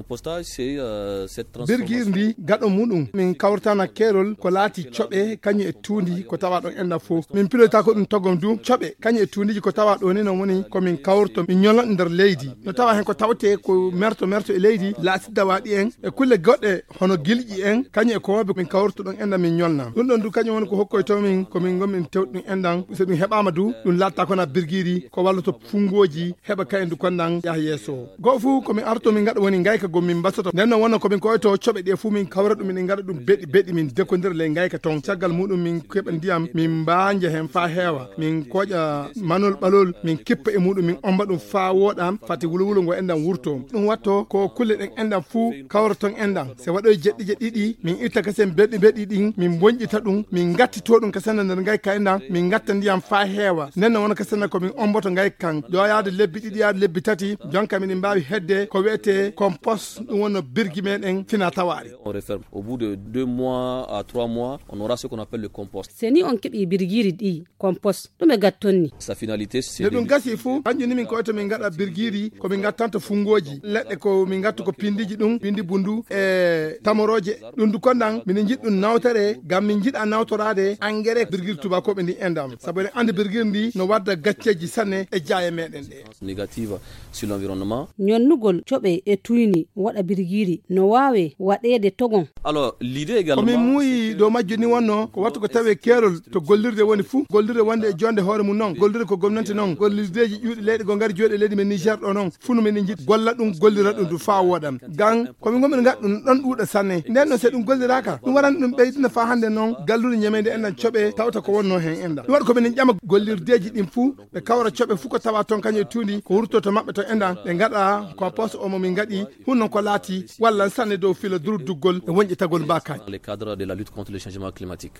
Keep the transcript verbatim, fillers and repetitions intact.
Compostage, c'est, euh, cette birgir transformation. Ndi gaɗo muɗum min kawrtana keerol ko laati coɓe kañum e tuundi ko tawa ɗon enɗam fof. Min piloyta ko ɗum togom du coɓe kañum e tuundiji ko tawa ɗo ni, non woni ko min kawrto min ñolna ɗum nder leydi. No tawa hen ko tawte ko merto merto e leydi, laatidda waɗi en e kulle goɗɗe hono gilƴi en, kañum e koobe min kawrto ɗon enɗam min ñolna. Ɗum ɗon du kañum woni ko hokkoyto min, ko min gonmin tewɗum enɗam. So ɗum heɓaama du, ɗum laatta kona birgiri ko walloto fungoji heɓa kayen du konɗan yaha yeeso. Goo fuu ko min arto min ngaɗa woni ngayka gom min mbasoto. Nden non wonno ko min koyto coɓe ɗe fuu min kawra ɗum, min ngaɗa ɗum beɗi beɗi, min dekondira ley ngayka ton. Caggal muɗum min keɓa ndiyam, min mbaanja hen faa heewa. Min kooƴa manol ɓalol, min kippa e muɗum, min omba ɗum faa wooɗa, fati wulowulo ngo enɗam wurto. Ɗum watto ko kulle ɗen enɗam fuu kawra ton enɗam. Se waɗoy jeɗɗi jeɗɗi ɗi, min itta kasen beɗi beɗi ɗin, min bonƴita ɗum, min ngattito ɗum kasen nder ngayka enɗam, min ngatta ndiyam faa heewa. Nden non wona kasen ko min omboto ngayka kan. Ɗo yaade lebbi ɗiɗi, yaade lebbi tati, jonka miɗen mbaawi hedde ko wi'etee compost, ɗum wonno birgi meɗen fina tawaari. On referme. Au bout de deux mois à trois mois, on aura ce qu'on appelle le compost. Se ni on keɓi birgiri ɗi, compost, ɗum e gattonni. Sa finalité, c'est nde ɗum de gasi fuu, kanjum ni min koyto min ngaɗa birgiri, ko min ngattanto fungoji, leɗɗe ko min ngattu ko pindiji ɗum, pindi bundu, e tamoroje. Ɗum du konɗan, miɗen njiɗ ɗum nawtere, ngam min njiɗa nawtoraade engrais birgiri tubakooɓe ndi enɗam. Sabu eɗen anndi birgiri ndi no wadda gacceeji sanne e jaaye meɗen ɗe. Négative sur l'environnement. Ñonnugol coɓe e tuyni waɗa birgiri no waawe waɗeede togon. Alors, l'idée également, ko min muuyi dow majjo ni wonno ko wattu ko tawe keerol to gollirde woni fuu, gollirde wonde e jonde hoore mum non, gollirde ko gomnante non, gollirdeeji ƴuuɗi leyɗe goo ngari jooɗi e leydi men Niger ɗo non, fuu no min njiɗ golla ɗum, gollira ɗum du faa wooɗam. Gan ko min gonmi ngaɗa ɗum ɗon ɗuuɗa sanne. Nden non se ɗum golliraaka, ɗum waran ɗum ɓeydina faa hannde non galluure ñameende enɗam coɓe tawta ko wonno hen enɗam. Ɗum waɗi ko min ƴama gollirdeeji ɗin fuu, ɓe kawra coɓe fuu ko tawa ton kañum e tuundi ko wurto to maɓɓe to enɗam, ɓe ngaɗa compost o mo min ngaɗi, hun non ko laati walla sanne dow filo durduggol e wonƴitagol mbaakaaji. Dans le cadre de la lutte contre le changement climatique.